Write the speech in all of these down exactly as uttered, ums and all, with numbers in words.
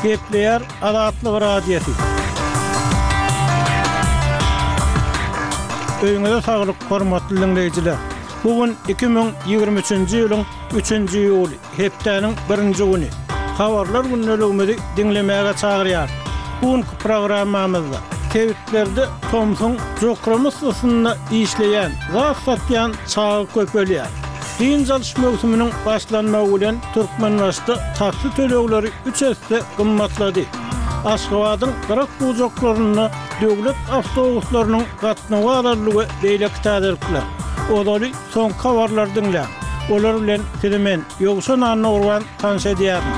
Gepleýär Azatlyk Radiosy. Öýüňize saglyk, hormatly diňleýjiler! Bu gün iki müň ýigrimi üçünji ýylyň üçünji iýuly, hepdäniň birinji güni. Habarlar gündeligimizi diňlemäge çagyrýarys. Bu günki programmamyzda sebitlerde tomsuň jokrama yssysynda işleýän, zat satýan çaga köpelýär. Dynç alyş möwsüminiň başlanmagy bilen Türkmenbaşyda taksi tölegleri üç esse gymmatlady. Aşgabadyň gyrak-bujaklarynda döwlet awtobuslarynyň gatnawy azaldy we beýleki täzelikler. Ozaly soňky habarlary diňläň. Olar bilen sizi men, Ýowşan Annagurban tanyş edýärin.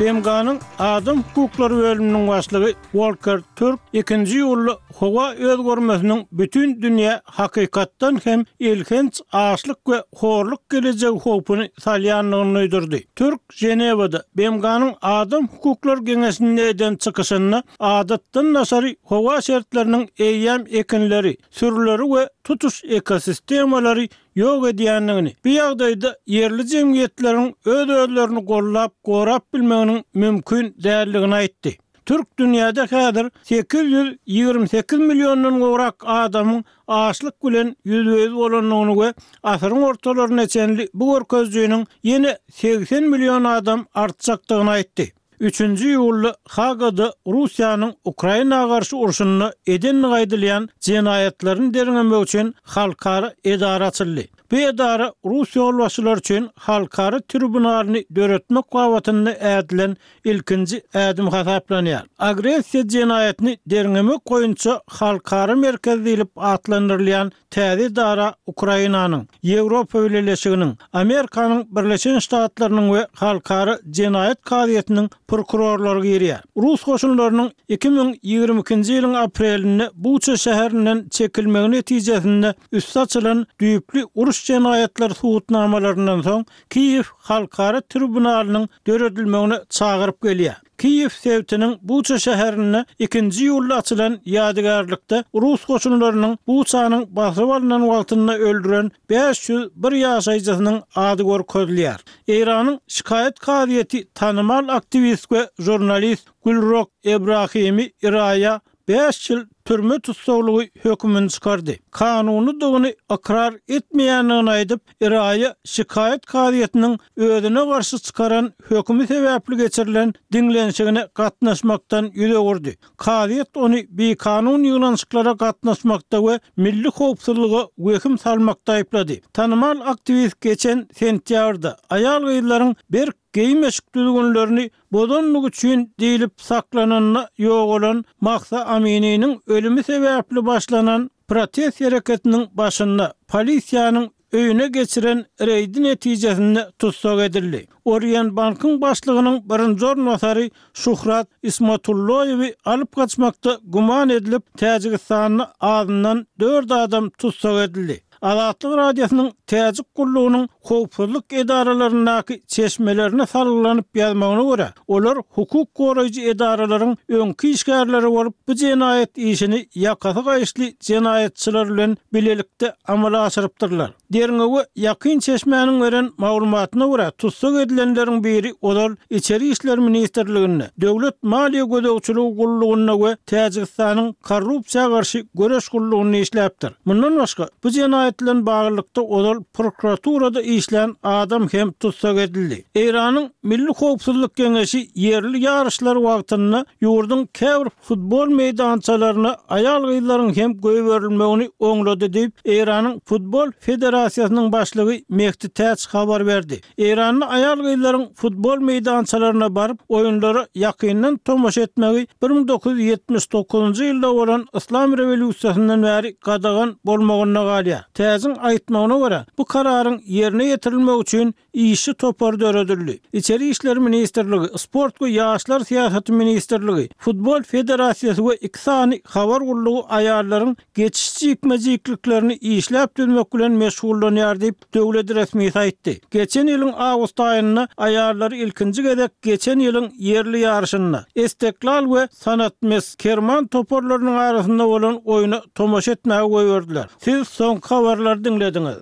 B M G-nyň Adam hukuklary bölüminiň başlygy Wolker Türk ikinji iýulda howa özgermesiniň bütin dünýä hakykatdan hem elhenç açlyk we horluk gelejegi howpuny salýandygyny duýdurdy. Türk Ženewada B M G-nyň Adam hukuklary geňeşinde eden çykyşynda adatdan daşary howa şertleriniň eýýäm ekinleri, sürüleri we tutuş ekosistemalary ýok edýändigini, bu ýagdaýda ýerli jemgyýetleriň öz-özlerini gollap, gorap bilmeginiň mümkin däldigini aýtdy. Türk dünýäde häzir sekiz ýüz ýigrimi sekiz milliondan gowrak adamyň açlyk bilen ýüzbe-ýüz bolandygyny we asyryň ortalaryna çenli bu görkezijiniň ýene segsen million adam artjakdygyny aýtdy. Üçünji iýulda Hagada Russiýanyň Ukraina garşy urşunda edendigi aýdylýan jenaýatlaryny derňemek üçin halkara edara açyldy. Bu edara rus ýolbaşçylary üçin halkara tribunalyny döretmek babatynda ädilen ilkinji ädim hasaplanýar. Agressiýa jenaýatyny derňemek boýunça halkara merkezi diýlip atlandyrylýan täze edara Ukrainanyň, Ýewropa Bileleşiginiň, Amerikanyň Birleşen Ştatlarynyň we Halkara jenaýat kazyýetiniň prokurorlary girýär. Rus goşunlarynyň iki müň ýigrimi ikinji ýylyň aprelinde Buça şäherinden çekilmegi netijesinde üsti açylan düýpli uruş jenaýatlary subutnamalaryndan soň Kiýew halkara tribunalynyň döredilmegine çagyryp gelýär. Kiýew sebitiniň Buça şäherinde ikinji iýulda açylan ýadygärlikde rus goşunlarynyň Buçanyň basyp alnan wagtynda öldüren bäş ýüz bir ýaşaýjysynyň ady görkezilýär. Eýranyň şikaýat kazyýeti tanymal aktiwist we žurnalist Gülrok Ebrahimi Iraýa bäş ýyl türme tussaglygy hökümini çykardy. Kanunydygyny ykrar etmeýändigini aýdyp, Iraýa şikaýat kazyýetiniň özüne garşy çykaran hökümi sebäpli geçirilen diňlenişigine gatnaşmakdan ýüz öwürdi. Kazyýet ony bikanun ýygnanyşyklara gatnaşmakda we milli howpsuzlyga wehim salmakda aýyplady. Tanymal aktiwist geçen sentýabrda aýal-gyzlaryň berk geýim-eşik düzgünlerini bozandygy üçin diýlip saklananda ýogalan Mahsa Amininiň ölümi sebäpli başlanan protest hereketiniň başynda polisiýanyň öýüne geçiren reýdi netijesinde tussag edildi. Oriýenbankyň başlygynyň birinji orunbasary Şuhrat Ismatulloýewi alyp gaçmakda güman edilip, Täjigistanda azyndan dört adam tussag edildi. Azatlyk Radiosynyň Täjik gullugynyň howpsuzlyk edaralaryndaky çeşmelerine salgylanyp ýazmagyna görä, olar hukuk goraýjy edaralaryň öňki işgärleri bolup, bu jenaýat işini ýakasy gaýyşly jenaýatçylar bilen bilelikde amala aşyrypdyrlar. Derňewe ýakyn çeşmäniň beren maglumatyna görä, tussag edilenleriň biri ozal Içeri işler ministrliginde, Döwlet maliýe gözegçiligi gullugynda we Täjigistanyň Korrupsiýa garşy göreş gullugynda işläpdir. Mundan başga, bu jenaýat bilen baglylykda ozal prokuraturada işlän adam hem tussag edildi. Eýranyň Milli howpsuzlyk geňeşi ýerli ýaryşlar wagtynda ýurduň käbir futbol meýdançalaryna aýal-gyzlaryň hem goýberilmegini oňlady diýip, Eýranyň Futbol federasiýasynyň başlygy Mehdi Täç habar berdi. Eýranda aýal-gyzlaryň futbol meýdançalaryna baryp, oýunlara ýakyndan tomaşa etmegi bir müň dokuz ýüz ýetmiş dokuzynjy ýylda bolan Yslam rewolýusiýasyndan bäri gadagan bolmagynda galýar. Täjiň aýtmagyna görä, bu kararyň ýerine ýetirilmegi üçin işçi topary döredildi. Içeri işler ministrligi, Sport we ýaşlar syýasaty ministrligi, Futbol federasiýasy we iki sany habar gullugy aýallaryň geçiş jikme-jikliklerini işläp düzmek bilen meşgullanýar diýip, döwlet resmisi aýtdy. Geçen ýylyň awgust aýynda aýallary ilkinji gezek geçen ýylyň ýerli ýaryşynda Esteklal we Sanat Mes Kerman toparlarynyň arasynda bolan oýna tomaşa etmäge goýberdiler. Siz soňky habarlary diňlediňiz.